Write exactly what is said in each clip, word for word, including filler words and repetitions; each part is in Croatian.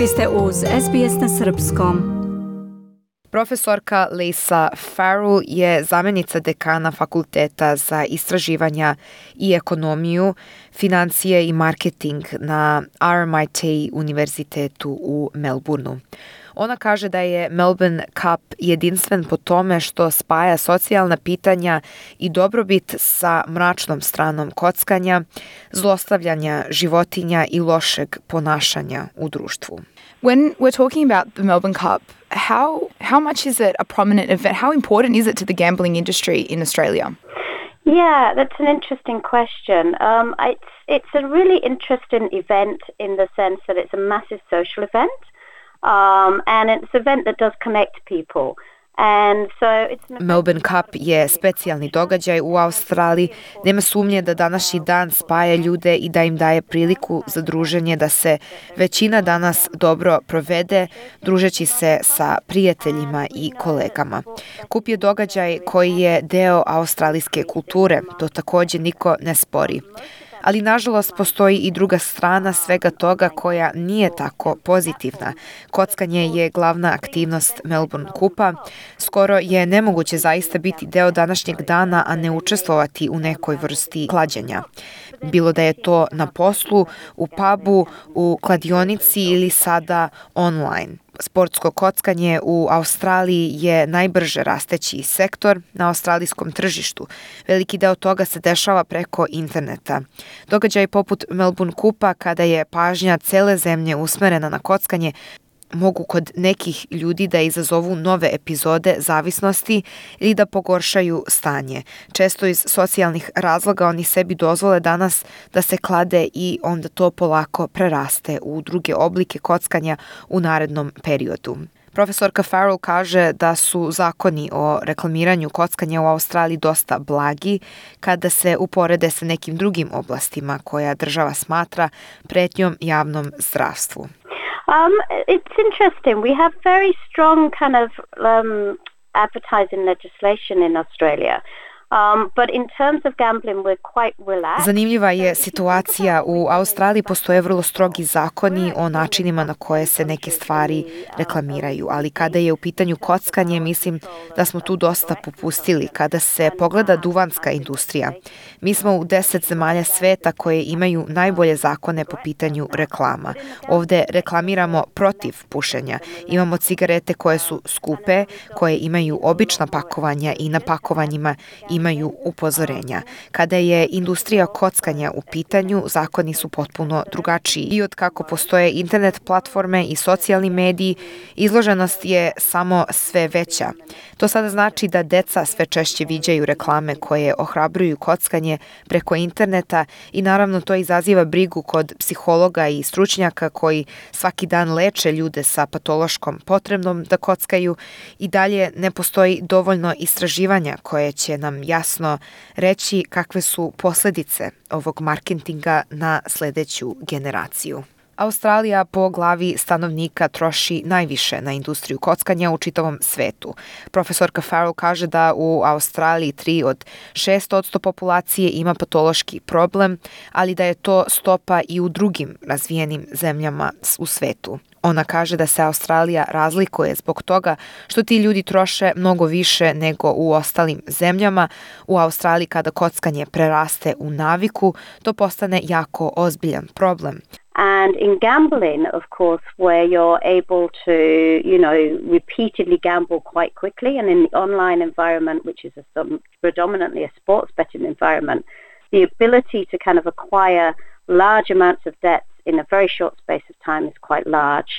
Vi ste uz S B S na srpskom. Profesorka Lisa Farrell je zamjenica dekana Fakulteta za istraživanja i ekonomiju, financije i marketing na R M I T univerzitetu u Melbourneu. Ona kaže da je Melbourne Cup jedinstven po tome što spaja socijalna pitanja i dobrobit sa mračnom stranom kockanja, zlostavljanja životinja i lošeg ponašanja u društvu. When we're talking about the Melbourne Cup, how how much is it a prominent event? How important is it to the gambling industry in Australia? Yeah, that's an interesting question. Um, it's it's a really interesting event in the sense that it's a massive social event, um, and it's an event that does connect people. And so it's an Melbourne Cup je specijalni događaj u Australiji. Nema sumnje da današnji dan spaja ljude i da im daje priliku za druženje, da se većina danas dobro provede, družeći se sa prijateljima i kolegama. Kup je događaj koji je deo australijske kulture, to također niko ne spori. Ali nažalost postoji i druga strana svega toga koja nije tako pozitivna. Kockanje je glavna aktivnost Melbourne Kupa. Skoro je nemoguće zaista biti deo današnjeg dana, a ne učestvovati u nekoj vrsti klađenja. Bilo da je to na poslu, u pubu, u kladionici ili sada online. Sportsko kockanje u Australiji je najbrže rasteći sektor na australijskom tržištu. Veliki deo toga se dešava preko interneta. Događaj poput Melbourne Kupa, kada je pažnja cele zemlje usmerena na kockanje, mogu kod nekih ljudi da izazovu nove epizode zavisnosti ili da pogoršaju stanje. Često iz socijalnih razloga oni sebi dozvole danas da se klade i onda to polako preraste u druge oblike kockanja u narednom periodu. Profesorka Farrell kaže da su zakoni o reklamiranju kockanja u Australiji dosta blagi kada se uporede sa nekim drugim oblastima koja država smatra pretnjom javnom zdravstvu. Um, it's interesting. We have very strong kind of um, advertising legislation in Australia. Um, but in terms of gambling, we're quite relaxed. Zanimljiva je situacija. U Australiji postoje vrlo strogi zakoni o načinima na koje se neke stvari reklamiraju, ali kada je u pitanju kockanje, mislim da smo tu dosta popustili. Kada se pogleda duvanska industrija, mi smo u deset zemalja sveta koje imaju najbolje zakone po pitanju reklama. Ovde reklamiramo protiv pušenja. Imamo cigarete koje su skupe, koje imaju obična pakovanja i na pakovanjima imaju upozorenja. Kada je industrija kockanja u pitanju, zakoni su potpuno drugačiji. I od kako postoje internet platforme i socijalni mediji, izloženost je samo sve veća. To sada znači da deca sve češće viđaju reklame koje ohrabruju kockanje preko interneta i naravno to izaziva brigu kod psihologa i stručnjaka koji svaki dan leče ljude sa patološkom potrebom da kockaju. I dalje ne postoji dovoljno istraživanja koje će nam jasno reći kakve su posljedice ovog marketinga na sljedeću generaciju. Australija po glavi stanovnika troši najviše na industriju kockanja u čitavom svetu. Profesorka Farrell kaže da u Australiji tri od šest odsto populacije ima patološki problem, ali da je to stopa i u drugim razvijenim zemljama u svetu. Ona kaže da se Australija razlikuje zbog toga što ti ljudi troše mnogo više nego u ostalim zemljama. U Australiji kada kockanje preraste u naviku, to postane jako ozbiljan problem. And in gambling, of course, where you're able to, you know, repeatedly gamble quite quickly, and in the online environment, which is a, some, predominantly a sports betting environment, the ability to kind of acquire large amounts of debts in a very short space of time is quite large.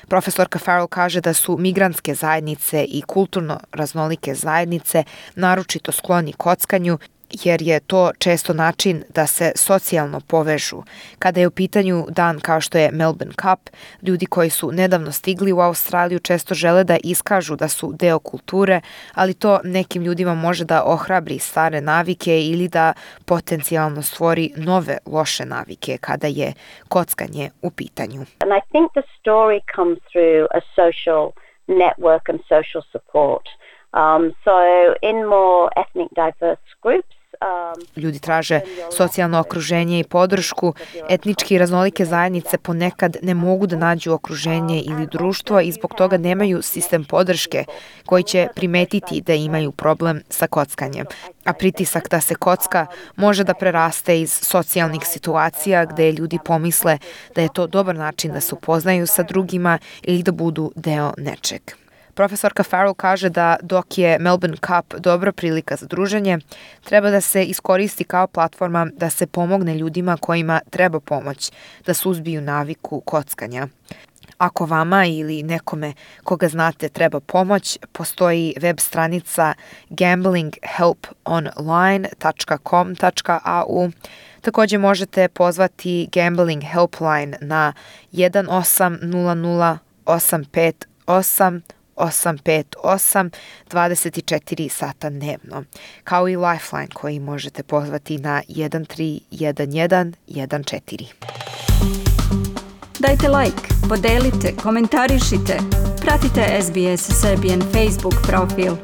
Profesorka Farrell kaže da su migrantske zajednice i kulturno raznolike zajednice naročito skloni kockanju, jer je to često način da se socijalno povežu. Kada je u pitanju dan kao što je Melbourne Cup, ljudi koji su nedavno stigli u Australiju često žele da iskažu da su deo kulture, ali to nekim ljudima može da ohrabri stare navike ili da potencijalno stvori nove loše navike kada je kockanje u pitanju. And I think the story comes through a social network and social support. Um, so in more ethnic diverse groups, Ljudi traže socijalno okruženje i podršku. Etnički raznolike zajednice ponekad ne mogu da nađu okruženje ili društvo i zbog toga nemaju sistem podrške koji će primetiti da imaju problem sa kockanjem. A pritisak da se kocka može da preraste iz socijalnih situacija gde ljudi pomisle da je to dobar način da se upoznaju sa drugima ili da budu deo nečeg. Profesorka Farrell kaže da dok je Melbourne Cup dobra prilika za druženje, treba da se iskoristi kao platforma da se pomogne ljudima kojima treba pomoć, da suzbiju naviku kockanja. Ako vama ili nekome koga znate treba pomoć, postoji web stranica gambling help online dot com dot a u. Također možete pozvati Gambling Helpline na jedan osam nula nula osam pet osam osam pet osam dvadeset četiri sata dnevno, kao i Lifeline koji možete pozvati na jedan tri jedan jedan jedan četiri. Dajte like, podelite, komentarišite, pratite S B S Serbian Facebook profil.